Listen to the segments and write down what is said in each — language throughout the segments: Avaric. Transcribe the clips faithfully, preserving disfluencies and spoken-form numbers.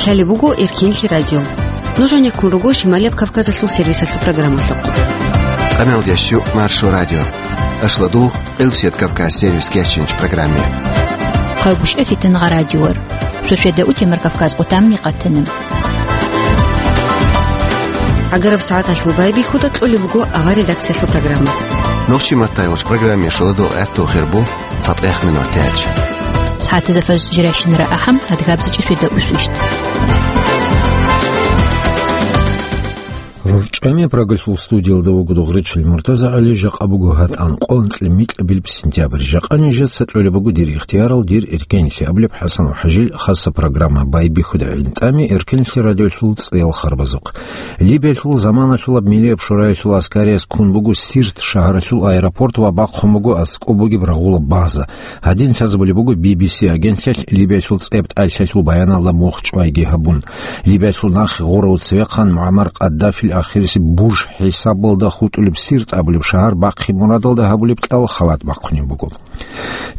Гьале буго Эркенлъи радио. Нуж гьанеккун руго Шималияб Кавказалъул сервисалъул программалъухъ. Къаналдеш Маршо радио. Ашлу дугъ Къилсият Кавказ сервис кечинч программе. Хъайгъушев Фитангъа радиор. Шошведа утемар Кавказ къутамни къатана. Агараб сагӀаталъул байбихьуда кьолеб буго авар редакциялъул программа. Нохчи маттайгъуч программе шоладо гӀатту хирбу цатӀех минут тяч. СагӀатазафаз жирайщинара ахӀам адгабзичӀе шведа усвищт. РорчӀами Прагалъул студиялда вуго Дугъричил МуртазагӀали, жакъа буго гьатӀан къо анцӀила микьабилеб сентябрь. Жакъа нижеца кьолеб буго дир ихтиярал, дир эркенлъи абулеб ХӀасан ва ХӀажил хаса программа байбихьуда гӀинтӀами Эркенлъи радиолъул цӀел харбазухъ. Либиялъул заманалъулаб Миллияб шораялъул аскарияс ккун буго Сирт шагьаралъул аэропорт ва бахъун буго аскӀоб бугеб рагъула база. Гьадин лъазабулеб буго Би Би Си агентлъалъ Либиялъул цӀеб тӀалъалъул баяналда мухчӀвайги гьабун. Либиялъул нахъе гъурав цевехъан МугӀаммар Къаддафил ахирисеб буж хӀисабалда хутӀулеб Сирт абулеб шагьар бахъи мурадалда гьабулеб кьал халат бахъунеб буго.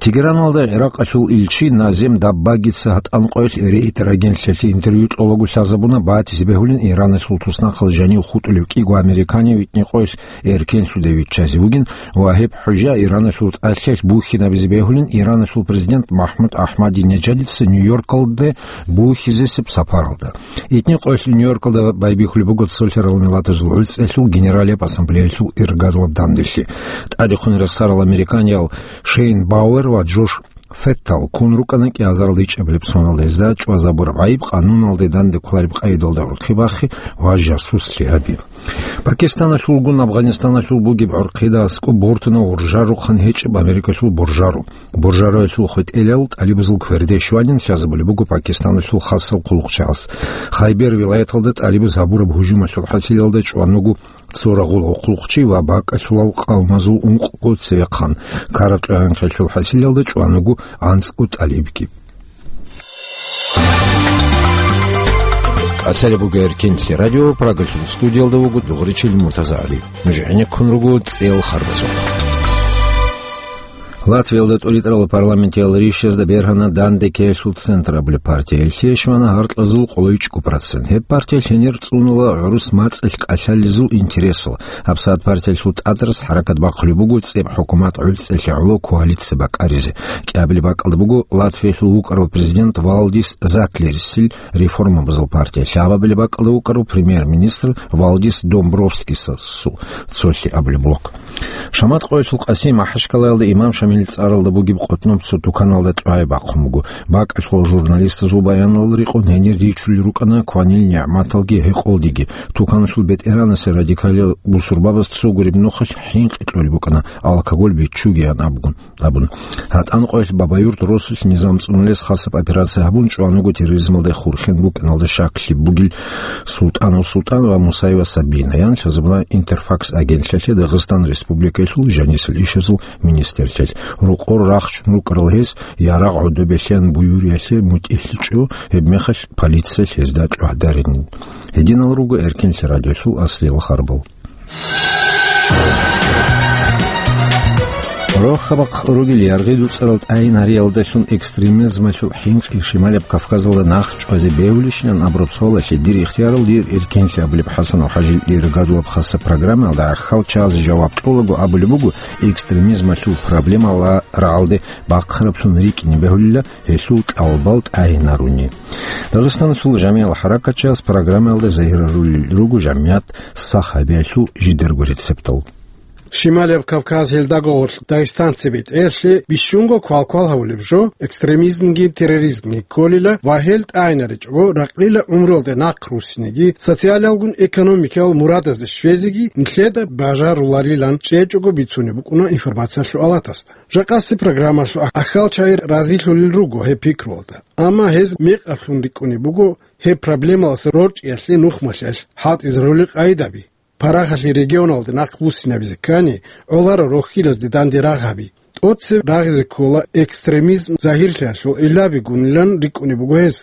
Тегераналда ГӀиракъалъул илчи Назем Даббагица гьатӀан къоялъ Рейтер агентлъалъе интервью кьолаго лъазабуна батизе бегьулин Ираналъул туснахъал жанив хутӀулев кӀиго американив витӀни къоялъ эркенлъуде виччазе вугин ва гьеб хӀужа Ираналъул тӀалъиялъ бухьинабизе бегьулин Ираналъул президент МахӀмуд Ахмадинежадица Нью-Йоркалде бухьизесеб сапаралда. ИтӀни къоялъ Нью-Йоркалда байбихьулеб буго Цолъарал Миллатазул ГӀуцӀиялъул Генералияб Ассамблеялъул иргаялъул данделъи. ТӀадехун рехсарал американиял Шейн Бауэр ва Джош Феттал ккун рукӀана кӀиазарал ичӀабилеб соналда гьезда чӀвазабураб гӀайиб, къануналде данде кколареб къайдалда урхъи бахъи ва жасуслъи гьаби. Пакистаналъулгун Афганистаналъул бугеб гӀурхъида аскӀоб бортуна уржарухъан гьечӀеб Америкалъул буржару. Буржаруялъул хветӀелал тӀалибазул кверде щванин лъазабулеб буго Пакистаналъул хасал хъулухъчияс. Хайбер вилаяталда тӀалибаз гьабураб гьужумалъул хӀасилалда чӀван вуго цо рагъул гӀурхъулухъчи ва бакӀалъулал къавмазул ункъго цевехъан. Караб кьвагӀанхъалъул хӀасилалда чӀван вуго анцӀго тӀалибги. Асалабуга Эркенлъи радио, Прагалъул студиялда вуго Дугъричил МуртазагӀали. Нуж гӀенеккун руго цӀел харбазухъ. Латвиялда тӀуритӀарал парламентиял ришазда бергьана Данде ккеялъул центр абулеб партия. Гьелъие щвана гьаркьазул къолойчӀго процент. Гьеб партия лъенир цӀунула гӀурус мацӀалъ кӀалъалезул интересал. ГьабсагӀат партиялъул тӀадрас хӀаракат бахъулеб буго цӀеб хӀукумат гӀуцӀелъе гӀоло коалиция бакӀаризе. КӀиабилеб бакӀалда буго Латвиялъул вукӀарав президент Валдис Затлерисил реформабазул партия, лъабабилеб бакӀалда вукӀарав премьер-министр Валдис Домбровскисасул цолъи абулеб блок. Шамат къоялъул Къасим Махачкалаялда Имам Шамил цӀаралда бугеб къотӀноб цо туканалда тӀагӀи бахъун буго. БакӀалъул журналистазул баяналда рекъон гьенир ричулел рукӀана кванил нигӀматалги гьекъолдиги. Туканалъул бетӀеранасе радикалиял бусурбабаз цо гуреб нухалъ хӀинкъи кьолеб букӀана, алкоголь биччугеян абун. Абун. ГьатӀан къоялъ Бабаюрт росулъ низам цӀунулес хасаб операция гьабун, чӀван вуго терроризмалда хурхен букӀиналда щаклъи бугел СултӀанов СултӀан ва Мусаева Сабина, ян лъазабуна Интерфакс агентлъалъе Дагъистан Республикаялъул жанисел ишазул министрлъиялъ. Рокъор рахчун рукӀарал гьез ярагъ гӀодобе лъеян буюриялъе мутӀигӀлъичӀо, гьебмехалъ полиция гьезда тӀугӀдарин. Гьединал руго Эркенлъи радиолъул аслиял харбал. Рохьабахъ ругел яргъи-дуцӀарал тӀагӀинариялдалъун экстремизмалъул хӀинкъи Шималаб Кавказалда нахъ чӀвазе бегьулищинан абураб суалалъе дир ихтиярал, дир эркенлъи абулеб ХӀасанов ХӀажил иргадулаб хаса программаялда гӀахьал чияз жаваб кьолаго абулеб буго, экстремизмалъул проблемала рагӀалде бахъараблъун рикӀкӀине бегьулила гьелъул кӀалбал тӀагӀинаруни. Дагъистаналъул жамигӀал хӀаракатчияс программаялда загьирарулел руго жамигӀат сах гьабиялъул жидарго рецептал. Шималияб Кавказ гьелдаго гъорлъ дагъистанци бетӀерлъи бищунго квалквал гьавулеб жо, экстремизмги терроризмги кколила ва гьел тӀагӀинаричӀого ракълила гӀумруялде нахъ руссинеги, социалалгун экономикиял мурадазде щвезеги нилъеда бажаруларилан чӀечӀого бицунеб букӀуна информациялъул алатасда. Жакъасеб программалъул ахӀалчагӀи разилъулел руго гьеб пикруялда, амма гьез мекъаблъун рикӀкӀунеб буго гьеб проблемалъ рорчӀиялъе нухмалъиялъ хӀалтӀизарулел къагӀидаби. Парагъалъе регионалде нахъ буссинабизе ккани, гӀоларо рохьилазде данде рагъаби. ТӀоцеб рагъизе ккола экстремизм загьирлъиялъул гӀиллабигунилан рикӀкӀунеб буго гьез.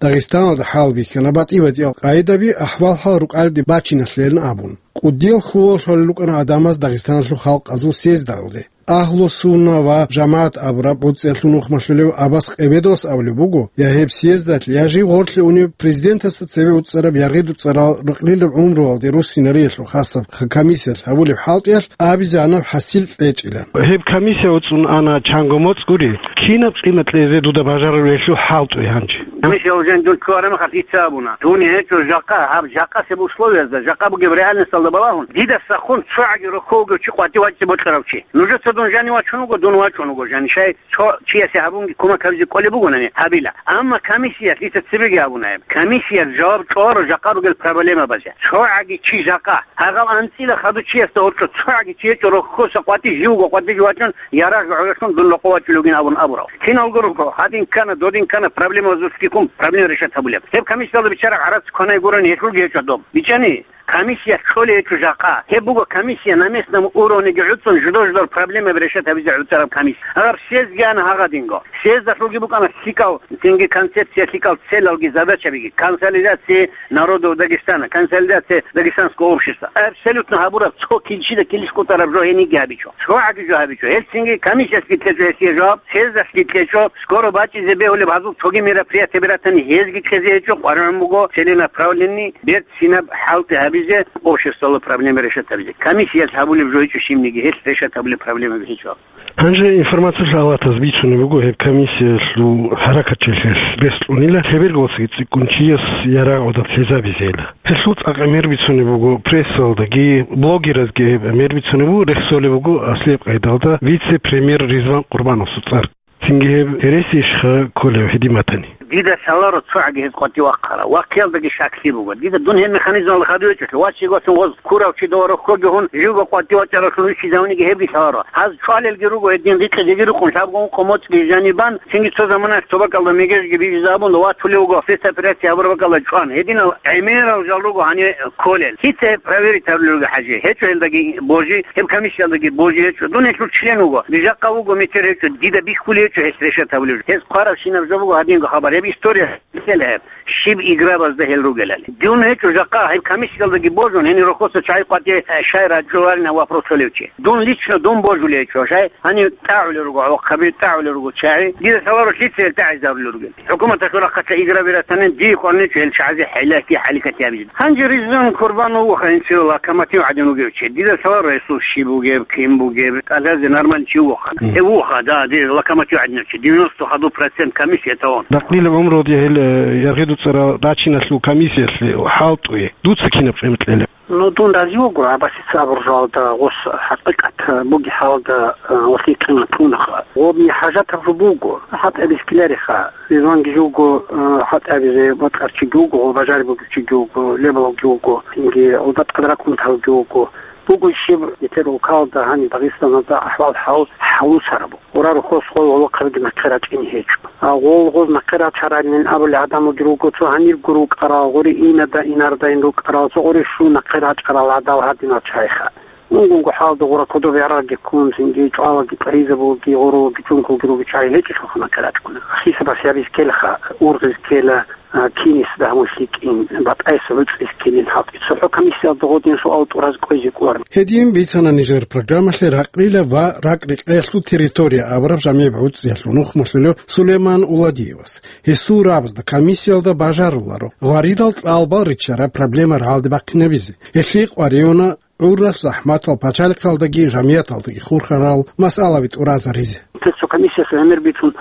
Дагъистаналда хӀалбихьана батӀи-батӀиял къагӀидаби ахӀвал-хӀал рукӀалде бачиналъилан абун. КӀудиял хьулал лъолел рукӀана гӀадамаз Дагъистаналъул халкъазул съездалде. Агьлу-сунна ва жамагӀат абураб гӀуцӀиялъул нухмалъулев Аббас Къебедовас абулеб буго, я гьеб съездалъ, я жив гъорлъе унев президентасда цебе уцӀцӀараб яргъи дуцӀцӀарал ракълилаб гӀумруялде руссинариялъул хасаб комиссиялъ гьабулеб хӀалтӀиялъ абизегӀанаб хӀасил кьечӀила. Гьеб комиссия уцӀцӀун ана чанго моцӀ гури, кинаб къимат кьезе дуда бажарулеб гьелъул хӀалтӀи гьанже? Гьанже гьалжан дун ккараб мехалъ дица абуна. Дун гьечӀо жакъа, гьаб жакъасеб условиязда, жакъа бугеб реальносталда балагьун, дида сахун цогӀаги рохьовго чи къватӀив вачӀине бокьарав чи. Нужеца дун жанив вачун вуго, дун вачун вуго жанив. Щай цо чиясе гьабунги кумек гьабизе кӀолеб бугонани, гьабила. Амма комиссиялъ дица цебеги абуна гьеб. Комиссиялъ жаваб чӀваро жакъа ругел проблемабазе. ЦогӀаги чи жакъа. Гьагъал анцӀила хадув чиясда гьоркьо цогӀаги чи гьечӀо, рохьоса къватӀив живго къватӀив вачун, ярагъги гӀололъун дун рокъов вачулев вугин абун абурав. Киналго руго, гьадин ккана, додин ккана, проблемабазулъги ккун проблема решать гьабулеб. Гьеб комиссиялда биччараб гӀарац кванай гурони гьелъулги гьечӀо доб. БичӀчӀани, комиссиялъ кколей гьечӀо жакъа. Гьеб буго комиссия на местном уровнеги гӀуцӀцӀун жидер-жидер проблемаби решать гьабизе гӀуцӀараб комиссия. Гьаб съездги ана гьагъадинго. Съездалъулги букӀана лъикӀал цинги концепция, лъикӀал целалги задачабиги. Консолидация народов Дагестана, консолидация дагестанского общества. Абсолютно гьабураб цо килщида килищ кӀутӀараб жо гьениги гьабичӀо. ЦогӀаги жо гьабичӀо. Гьелцинги комиссиялъги кьечӀо гьесие жаваб, съездалъги кьечӀо, скоро бачӀизе бегьулеб гьазул цоги мероприятияби ратани гьезги кьезе гьечӀо, къваригӀун буго целенаправленный, берцинаб хӀалтӀи гьабизе, обществоялъул проблема решать гьабизе. Комиссиялъ гьабулеб жо гьечӀо щибниги, гьелъ решать гьабулеб проблемаби гьечӀо. Гьанже информациялъул авлатаз бицунеб буго гьеб комиссиялъул хӀаракатчилъиялъ рес кьунила лъеберго цӀикӀкӀунчияс ярагъ гӀодоб лъезабизейила. Гьелъул цӀакъ гӀемер бицунеб буго прессалдаги, блогеразги гьеб гӀемер бицунеб буго, рехсолеб буго аслияб къайдалда вице-премьер Ризван Къурбановасул цӀар. Цинги гьеб гьереси ишха кколев гьедин батани. Дида лъаларо цогӀаги гьез къватӀив вахъарав, вахъиялдаги щаклъи буго. Дида дун гьеб механизмалда хадув гьечӀолъи, вачиго гьатун гъоз ккурав чи доварухъоги гьун, живго къватӀив вачӀаравлъун виччизавниги гьебги лъаларо. Гьаз чӀвалелги руго гьедин, рикьизеги рукъун, лъабго ункъо моцӀги жанибан, цинги цо заманаялъ цо бакӀалда мегежги бижизабун, ватулев вуго, спецоперация гьабураб бакӀалда чӀван. Гьединал гӀемерал жал руго гьанибе кколел. Лъица гьеб проверить гьарулел руго, ХӀажи? ГьечӀо гьелдаги божи, гьеб комиссиялдаги божи гьечӀо. Дун гьелъул член вуго. Жакъа вуго метер гьечӀо, дида бихьулей гьечӀо гьелъ решать гьабулеб. Гьез хъварабщинаб жо буго гьадинго хабар. Гьеб история лъела гьеб. Щиб играбазда гьел ругелали. Дун гьечӀо жакъа, гьеб комиссиялдаги божун, гьенир рохоса чагӀи къватӀи, э, щай раджуларина вопрос толев чи. Дун лично дун божулей гьечӀо, щай гьанив тӀагӀулел руго, гӀолохъаби тӀагӀулел руго чагӀи. Дида лъаларо лъица гьел тӀагӀизарулел ругел. ХӀукуматалъул рахъалъа играбиратанин дие кӀварничӀо гьел чагӀазе хӀалаки хӀаликати гьабизе. Гьанже Ризван Курбанов вуха гьенцеве локомотив гӀадин вугев чи. Дида лъаларо гьесул щиб бугеб, кин бугеб, кӀалъазе нормальный чи вуха. Мгм. Гьев вуха, да, дида локомотив гӀадинав чи, девяносто хадув процент комиссия тавун. Ракълилаб гӀумруде гьел, э, яргъи дуцӀарал рачиналъул комиссиялъе хӀалтӀуе. Дуца кинаб къимат кьелеб? Ну, дун рази вуго, Аббасица абуржалда гъос хӀакъикъат буги хӀалда, э, гъолъие къимат кьунаха. Гъобни хӀажатаб жо буго, хӀатӀаб бихьилариха. Ризванги жуго, э, хӀатӀабизе бокьарчиги вуго, гъо бажариб бугевчиги вуго, лебалги вуго, цинги гъолда тӀад ракӀунталги вуго. Буго щиб, нилъер улкалда гьаниб Дагъистаналда ахӀвал-хӀал хӀалусараб. Гъурарухъос гъол гъолохъабиги нахъе рачӀине гьечӀо. А гъол гъоз нахъе рачаралин абулел гӀадамалги руго, цо гьанибго рукӀарал, гъури инада-инардайин рукӀарал, цо гъури щун нахъе рачӀарал гӀадал гьадинал чайха. Унгунго хӀалда гъура кодоб ярагъги ккун, цинги чӀвалаги кьваризабулги, гъурулаги чӀункулги руги чай гьечӀелъулха нахъе рачӀуна. Хисабас гьабиз ккелаха, ургъиз ккела, а, кинис дагьму лъикӀин, батӀайса гӀуцӀиз ккелин хӀалтӀи. ЦохӀо комиссиялда гъодин суал тӀураз кӀвезе кӀвар. Гьедин бицана нижер программалъе ракълила ва ракӀ-рекъеялъул территория абураб жамигӀ гӀуцӀиялъул нухмалъулев Сулейман Уладиевас. Гьесул рабазда комиссиялда бажаруларо гъваридал кьалбал риччараб проблема рагӀалде бахъинабизе. Гьелъие къваригӀуна гӀурралъ захӀматал пачалихъалдаги жамияталдаги хурхарал масъалаби тӀуразаризе. Цо комиссияс гӀемер бицун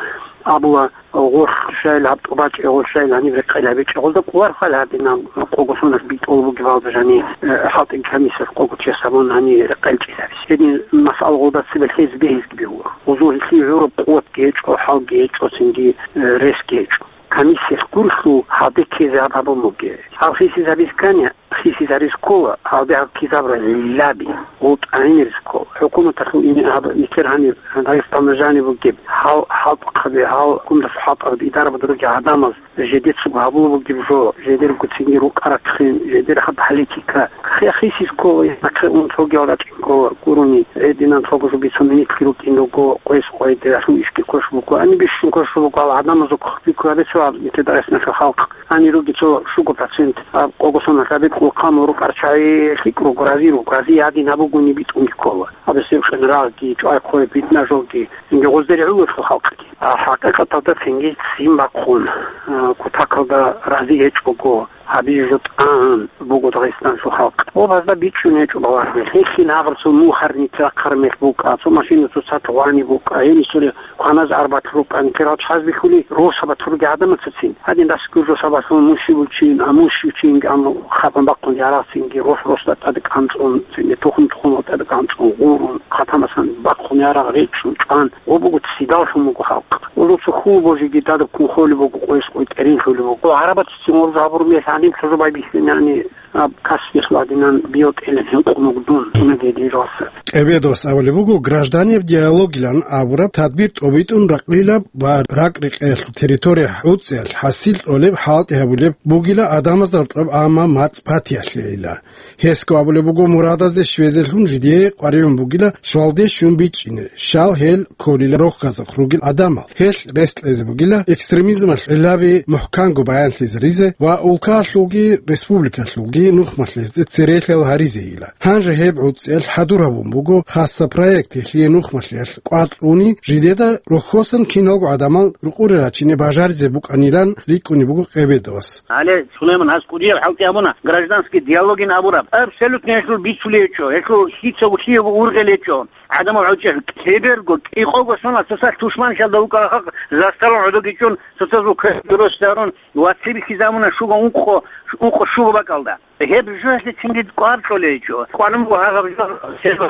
абула, гъоркь щайил гьаб тӀубачӀи, гъоркь щайил гьаниб рекъел гьабичӀи, гъолда кӀвар хвал гьадинаб къого соналъ битӀул бугебалда жани, э, хӀалтӀи комиссияс къого чияс гьабун гьани рекъел чӀезабизе. Гьедин масъала гъолда цебе лъезе бегьизги бегьула. Гъозул гьелъие гӀураб къуватги гьечӀо, хӀалги гьечӀо, цинги, э, ресги гьечӀо. Комиссияс гурлъул гьалде ккезе гьаб гьабун бугеб. Гьаб хисизабиз ккани, хисизариз ккола, гьалде гьаб ккизабра лаби, гъутӀайнириз ккола. ХӀукуматалъул ин гьаб нилъер гьанир Дагъистаналда жаниб бугеб, гьал хӀалтӀухъаби, гьал гундас хӀалтӀараб идарабада ругел гӀадамаз жедецаго гьабула бугеб жо, жедерго цинги рукӀарахъин, жедер гьаб политика. Хе-, хисиз ккола, нахъе ун цогиял рачӀин ккола, гурони, гьединан цого жо бицун минитлъи рукӀин руго, къвес къвайде, гьалъул ишги квеш буго, ани бищун квеш буго, гьал гӀадамазул хъубиккун гьабицо гьаб нилъер Дагъистаналъул халкъ. Гьанир руги цо щуго процент, а, къого соналъ гьабе Къулхъан рукъарчагӀи лъикӀ руго, рази руго, рази гьадин абугони битӀунги ккола. Аб гьесул къинрагъги, чӀвай-хъвай, питна-жоги, цинги гъозде ригӀуларо халкъги. А хӀакъикъаталда цинги ццин бахъун, а, кутакалда рази гьечӀого, гьабизе жо тӀагӀун буго Дагъистаналъул халкъ. Ва гьазда бичӀчӀун гьечӀо балагье. Гьелъин гьагъабцун мухарница рахъараб мех букӀа, цо машина цоцазда гъвани букӀа, гьенисулеб кваназ арбатал рукӀа, нилъер чӀваз бихьулел росаб батуруги гӀадамацацин. Гьадин дас гуржо сабаблъун мушивулчин, а мушивчин, амма хапан бахъун ярагъцинги, рос-росда тӀаде кӀанцӀун, цинги тухум-тухумал тӀаде кӀанцӀун, гъурун, хъатамасан бахъун ярагъ речӀчӀун чӀван, гъо буго ццидаллъун буго халкъ. Улуса хьул божиги дадаб ккун холеб буго, къойс къой тӀеринлъулеб буго. ГӀарабацацин гъорза гьабураб мехалъ гӀадин лъазабай бихьинани, Аб касбихьулгӀадинан био тӀелеб гьинкъун вугдун, цӀунаги дирваса. Къебедовас абулеб буго, гражданеб диалогилан абураб тадбир тӀобитӀун ракълилаб ва ракӀ-рекъелъул территория гӀуцӀиялъ хӀасил кьолеб хӀалтӀи гьабулеб бугила гӀадамазда гьоркьоб, амма мацӀ батиялъейила. Гьесго абулеб буго, мурадазде щвезелъун жидее къваригӀун бугила щвалде щун бичӀчӀине, щал гьел кколила рохьазухъ ругел гӀадамал. Гьелъ рес кьезе бугила экстремизмалъ гӀиллаби мухӀканго баянлъизаризе ва улкаялъулги республикалъулги нухмалъизде церейилъал гьаризейила. Гьанже гьеб гӀуцӀиялъ хӀадур гьабун буго хасаб проект, гьелъие нухмалъиялъ кӀвар кьуни, жидеда рохьосан киналго гӀадамал рукъуре рачине бажаризе букӀанилан рикӀкӀунеб буго Къебедовас. Гьале, Сулайман, гьас кӀудияб хӀалтӀи гьабуна, гражданский диалогин абураб. Абсолютно гьелъул бицулей гьечӀо, гьелъул лъицаго лъиего ургъел гьечӀо. ГӀадамал гӀучӀел кеберго, кӀикъого сона цоцалъ тушманлъиялда вукӀарал халкъ заставаялда гӀодовги чӀун, цоцазул кверги росарун, ва цебехъизабуна щуго ункъо, ункъо щуго бакӀалда. Гьеб жоялъецинги кӀвар кьолей гьечӀо. Къванун буго гьагъаб жо,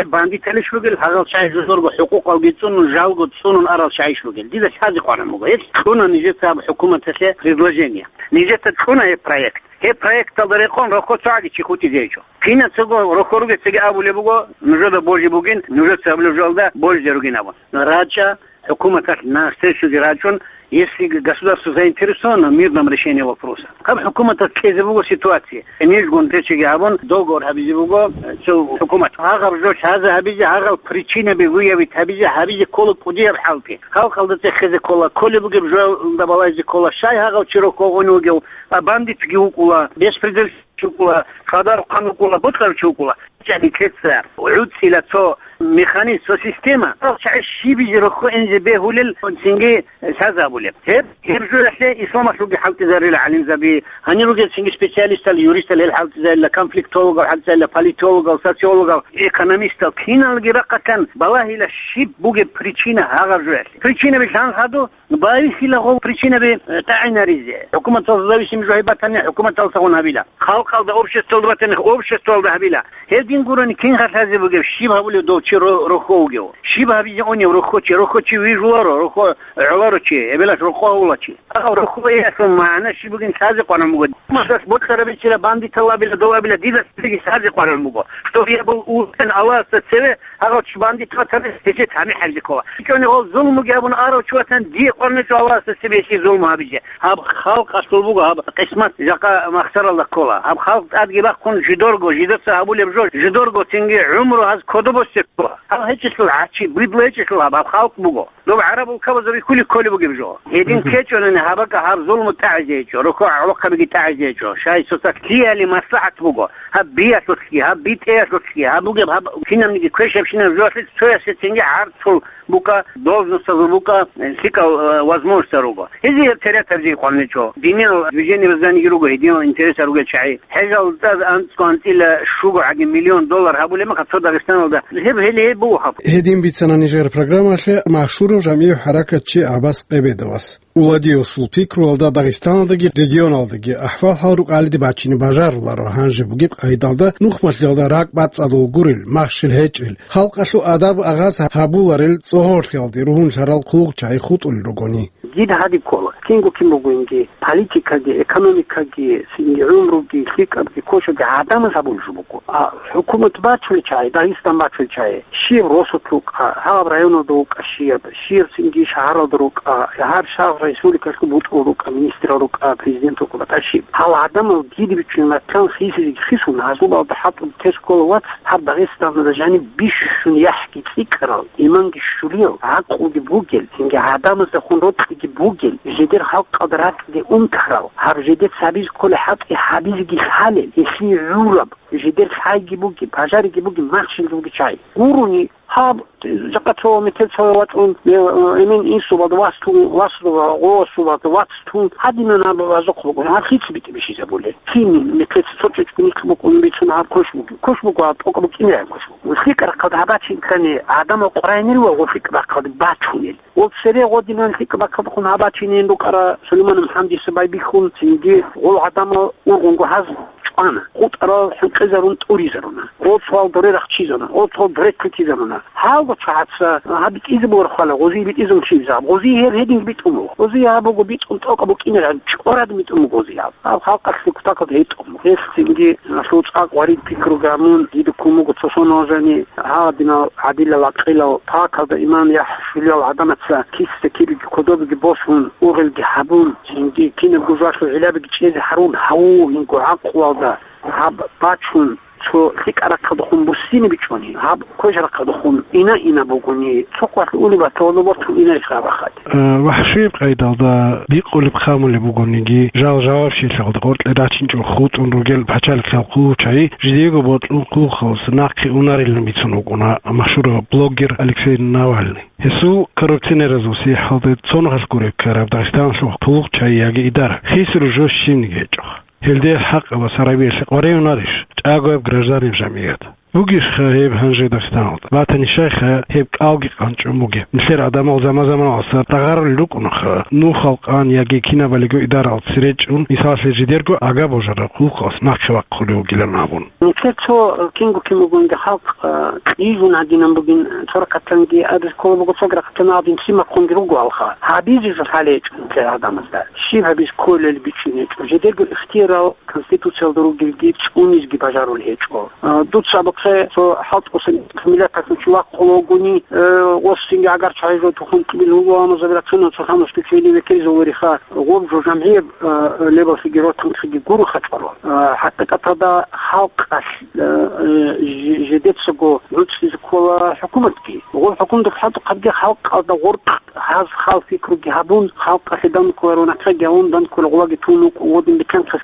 бандиталищ ругел, гьагъал чагӀи жодорго хӀукъукъалги цӀунун, жалго цӀунун арал чагӀиш ругел. Дида лъазе къванун буго. Гьеб кьуна нижеца аб хӀукуматалъе предложение. Нижеца кьуна гьеб проект. Гьеб проекталда рекъон рохьо цогӀаги чи хутӀизе гьечӀо. Кинацаго рохьо ругецаги абулеб буго, нужеда божи бугин, нужеца гьабулеб жоялда божизе ругин абун. РачӀа, хӀукуматалъ навстречуги рачӀун, если государство заинтересовано в мирном решении вопроса. Гьаб хӀукуматалъ кьезе буго ситуация. Нижгун речиги гьабун, договор гьабизе буго, э, цо хӀукумат. Гьагъаб жо лъазе гьабизе, гьагъал причинаби выявить гьабизе, гьабизе ккола кӀудияб хӀалтӀи. Халкъалда цӀехезе ккола, кколеб бугеб жоялда балагьизе ккола, щай гьагъав чи рохьо гьунев вугев, а бандитги вукӀула, беспредел чи вукӀула, къадар хъан вукӀула, бокьарав чи вукӀула. ЧӀаги ккеца гӀуцӀила цо механизм, цо система. Гьал чагӀи щибизе рохьо инзе бегьулел цинги лъазабулеб. Гьеб, гьеб жоялъе исламалъулги хӀалтӀизарила гӀалимзаби, гьанир ругел цинги специалистал, юристал гьел хӀалтӀизарила, конфликтологал хӀалтӀизарила, политологал, социологал, экономистал, киналги рахъалъан балагьила щиб бугеб причина гьагъаб жоялъе. Причинаби лъан хадуб, Байхила гъол причинаби, э, тӀагӀинаризе. ХӀукуматалъ зависим жо гьеб батани, хӀукуматалдасан гьабила. Халкъалда, обществалда батани, обществалда гьабила. Гьедин гурони кин халъазе бугеб, щиб гьабулев дов чи ро-, рохьо вугев? Щиб гьабизе унев рохьо чи? Рохьо чи вижуларо, рохьо гӀоларо чи, эбелалъ рокъов гьавула чи. Агьав рохьо иялъул магӀна щиб бугин лъазе къваран буго. Масалас, бокьараб бичила бандитал абила, дов абила, дида цебеги лъазе къваран буго. Что я был устен Аллагьасда цеве, Гьагъав чи бандит ватани, гьечи тани хӀалжи ккола. ЧӀони гъов зулмуги гьабун арав чи ватани, дие къварничӀо Аллагьасда цебе гьесие зулму гьабизе. Гьаб халкъалъул буго, гьаб къисмат жакъа махсаралда ккола. Гьаб халкъ тӀадги бахъун жидорго, жидеца гьабулеб жо, жидорго цинги гӀумру гьаз кодобосде ккола. Гьаб гьечӀелъул гьачи, бидлу гьечӀелъул гьаб, гьаб халкъ буго. Доб гӀараб улкабазул рихьулеб кколеб бугеб жо. Гьедин ккечӀонани гьабака гьаб зулму тӀагӀизе гьечӀо, рохьо гӀолохъабиги тӀагӀизе гьечӀо. Щай, цоцалъ ккеялъе маслахӀат буго. Гьаб биялъулъги, гьаб битӀеялъулъги, гьаб бугеб, гьаб кинабниги квешабщинаб жоялъе цоясецинги гӀарцул букӀа, должностазул букӀа, э, лъикӀал, э, возможностал руго. Гьезие гьеб терятаб жий къваничӀо. Диниял движение возданиги руго, гьединал интересал ругел чагӀи. ХӀежалда анцӀго анцӀила щуго гӀаги миллион доллар гьабулеб мехалъ цо Дагъистаналда. Гьеб, гьеле гьеб буго гьаб. Гьедин бицана нижер программалъе машгьурав жамгӀияв хӀаракатчи ГӀаббас Къебедовас. Уладиосул пикруялда Дагъистаналдаги регионалдаги ахӀвал-хӀал рукӀалиде бачине бажаруларо гьанже бугеб къайдалда нухмалъиялда ракӀ бацӀцӀадул гурел, махщел гьечӀел, халкъалъул адаб-агъаз гьабуларел цӀогьорлъиялде ругьунлъарал хъулухъчагӀи хутӀулел ругони. Дида гьадин ккола, кинго кин бугониги, политикаги, экономикаги, цинги гӀумруги, лъикӀабги, квешабги гӀадамаз гьабулеб жо буго. А хӀукумат бачулел чагӀи, Дагъистан бачулел чагӀи, щиб росулъ рукӀа, гьаб районалда вукӀа щиб, щиб цинги шагьаралда рукӀа, гьаб шагьар республикалъул бутӀрул рукӀа, министрал рукӀа, президент рукӀа, батӀа щиб. Гьал гӀадамал дида бичӀчӀунеб батан хисизеги хисун, гьазул балда хӀатӀун тес ккола вац, гьаб Дагъистаналда жаниб бищун яхӀги цӀикӀкӀарал, иманги щулиял, гӀакълуги бугел, цинги гӀадамаздехун рокьи бугел, жидер халкъалда ракьги унтарал, гьаб жидер цабиз кколей хӀалтӀи гьабизеги лъалел, гьелъие гӀураб, жидер лъайги бугеб, пажариги бугеб, махщел ругел чагӀи. Гурони гьаб, жакъа цо метер цо вачӀун, э, эмен инсубалда вас тун, васдува гъовасубалда вац тун, гьадинан гьаб вазухъ бугони, гьаб хица битӀи бищизабулеб? Кин метер цо чӀечӀго нилъ букӀун бицун гьаб квеш бугеб? Квеш буго, гьаб тӀокӀаб букӀине гьаб квеш буго. ЛъикӀ рахъалда гьабачин ккани, гьадамал къваригӀунел ва лъикӀ рахъалда бачунел. Гъоб цере гъодинан лъикӀ бахъалдухъун гьабачинин рукӀара Сулейман МухӀамадица байбихьун, цинги гъол гӀадамал ургъунго гьаз чӀвана, хутӀарал хӀинкъизарун тӀуризаруна, гъол цоял доре рахчизана, гъол цоял доре лъутизаруна. Гьалго чагӀаца гьаб битӀизе бугеб хвала, гъозие битӀизун чӀезаб, гъозие гьеб гьединги битӀун буго. Гъозие гьаб буго битӀун тӀокӀаб букӀинараб, чӀорад битӀун буго гъозие гьаб. Гьаб халкъалъе кутакалда гьетӀун. Гьелъ цинги гьалъул цӀакъ варид пикруги гьабун, дида ккун буго цо соналъ жани, гьадинал гӀадилал гӀакъилал, пакалда иман яхӀ щулиял гӀадамаца киса кибеги кодобеги босун, ургъелги гьабун, цинги кинабго жоялъул гӀиллабиги чӀезе гьарун, гьаву, гьинго гӀакълуялда гьаб бачун, цо лъикӀаб рахъалдухъун буссине бичӀчӀони, гьаб квеш рахъалдухъун ина-ина бугони, цо къвалъ улеб баталда бортун инарищ гьаб ахаде. Э, вахӀшияб къайдалда бикъулеб-хъамулеб бугониги, жал жавабчилъиялда къоркье рачинчӀо хутӀун ругел пачалихъал хъулухъчагӀи жидеего бокьун хъулухъалдаса нахъе унарилан бицун вукӀуна машгьурав блогер Алексей Навальный. Гьесул коррупционераз васихӀалде цонахъалъ гуреб ккараб Дагъистаналъул хъулухъчагӀи яги идара, хисару жо щибниги гьечӀо. Гьелде хӀакъабаз гьарабиялъе къваригӀунарищ чӀагояб гражданин жамгӀият? Бугищха гьеб гьанже Дагъистаналда? Батани щайха гьеб кӀалги къанчӀун бугеб? Нилъер гӀадамал заман-заманалъ дагъарулел рукӀунаха, нухал къан яги кинабалиго идарал цере чӀун, мисаллъе, жидерго ага божараб хъулухъалъ нахъе вахъулев вугилан абун. Нилъер цо кинго кин бугониги халкъ, а, кьижун гьадинан бугин, цо рахъатанги абизе ккола буго, цо рахъатан гьадин лъимахъунги ругоалха. Гьабизе жо лъалеб гьечӀо нилъер гӀадамазда. Щиб гьабизе кколел бичӀчӀизе гьечӀо. Жидерго ихтияр Конституциялда ругелги цӀунизеги бажарулеб гьечӀо. А, дуца абухъе, цо хӀалтӀусан миллаталъул чи вахъун вугони, э, гъосинги гӀагар чагӀи жо тухун кьибил вуго, амма забира цунан цо хамус кучейни векеризавулариха, гъоб жо жамгӀияб, э, лебаллъиги ротанхъиги гуроха чӀвала. Э, хӀакъикъаталда халкъалъ, э, э, жи-, жидецаго гӀуцӀизе ккола хӀукуматги. Гъоб хӀукуматалъ хӀалтӀухъабги халкъалда гъоркь гьаз хал-пикруги гьабун, халкъалъе данкуларо нахъеги гьавун, данкула гъулаги тун вукӀун, гъодин бетӀер хъес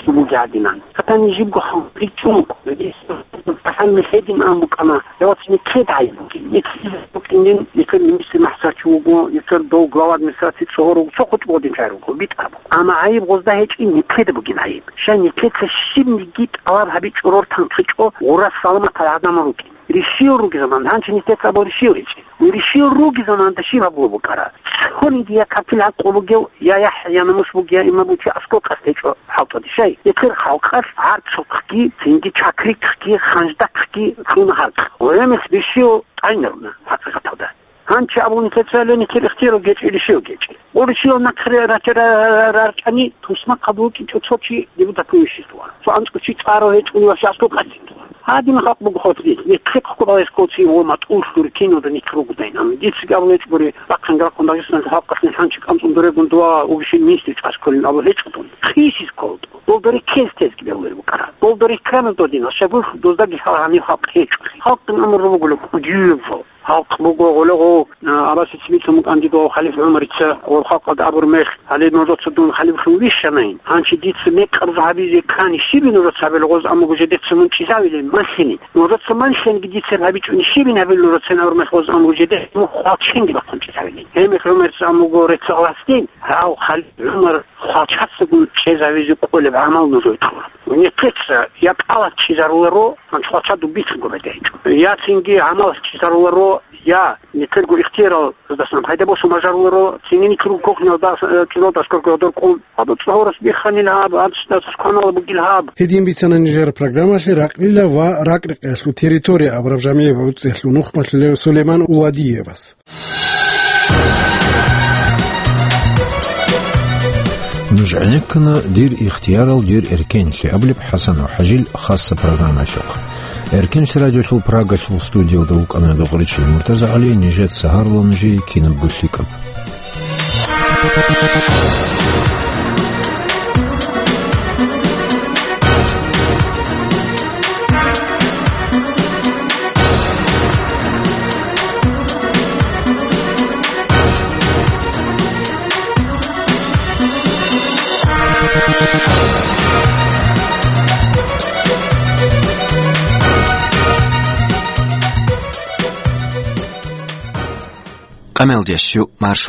бугеадинан. Хатани жибго хъан ричӀун вукӀун. Гьес тахӀамил гьедин ан букӀана, явац никед гӀайиб бугин. Никед букӀинин, никед министр махсачи вуго, никед дов глава администрации цогьор вуго, цо хутӀ гъодин чай руго, битӀар буго. Амма гӀайиб гъозда гьечӀин, никед бугин гӀайиб. Щай никеца щибниги тӀалаб гьабичӀо, рортан хъичӀо, гъурас саламатал гӀадамал рукӀин. Ришил руги заман, гьанчи нилъеца абу ришил гьечӀи. Ришил руги заманда щиб гьабулеб букӀара? Цониги я капил гӀакълу бугев, я яхӀ, я намус бугев, я имам бугев чи аскӀов къасд гьечӀо хӀалтӀуде. Щай, эцер халкъалъ гӀарцухъги, цинги чакрикъги, ханждахъги кьуна халкъ. Гъоямес ришил тӀайнаруна, хӀакъикъаталда. Гьанчи абу нилъеца ле нилъер ихтияр гьечӀи, ришил гьечӀи. Гъуришиял нахъе рача-, ра-, ра-, рарчӀани, тусмахъ гьабулчӀинчӀо цо чи депутатив вищизтула. Цо анцӀго чи цӀарав гьечӀони ва щас къокъадин тула. Гьадин халкъ буго хутӀи. Нилъехъго баласкоци ва матӀулъур киналда нилъ ругодайин. Амма дица гьабулеб гьечӀо гури, бахъин рахъун Дагъистаналъул халкъалъе хӀанчи кӀанцӀун дурегун дова вугищин минсте чӀваскулин абу гьечӀо дун. Хисис кколтӀу. Долда реккез тезги бегьулел букӀара. Долда реккана додина, шабух доздаги лъала гьанив халкъ гьечӀо. Халкъин амр буго кӀудияб жо. Халкъ буго гъолегъов, а, Аббасица бицун букӀан дидул халиф ГӀумарица, гъол халкъалда абур мех, гьале нужеца дун халифлъун вищанайин. Гьанчи дица мекъаб жо гьабизе ккани, щибин нужеца гьабил гъоз амуго жедеца мун чӀезавилин, малъинин. Нужеца малъинги дица гьабичӀони, щибин гьабил нужецин абур мех гъоз амуго жедеца мун хвалченги бахъун чӀезавилин. Гьеб мех ГӀумарица амуго рецц гьаласдин, гьав халиф ГӀумар хвалчацагун чӀезавизе кӀолеб гӀамал нужее кьура. Нилъеца я тӀалаб чӀезаруларо, гьанчӀ хвалча дубицаго бетӀерчӀо. Я цинги гӀамал чӀезаруларо, я нилъерго ихтияралдасан пайда босун бажаруларо, цинги нилъерго кухнялда, э, чӀезалда аскӀорго гьадор кӀун, гьаб цӀогьорас бихханил гьаб, гьаб цӀас кванала бугил гьаб. Гьедин бицана нижер программалъе ракълила ва ракӀ-рекъелъул территория абураб жамгӀияб гӀуцӀиялъул нухмалъулев Сулейман Уладиевас. Нуж гӀенеккана «Дир ихтиярал, дир эркенлъи» абулеб ХӀасанов ХӀажил хасса программаялъухъ. Эркенлъи радиолъул Прагалъул студиялда вукӀана Дугъричил МуртазагӀали, нижеца гьарула нужее кинабго лъикӀаб. Къамелдияс щу марш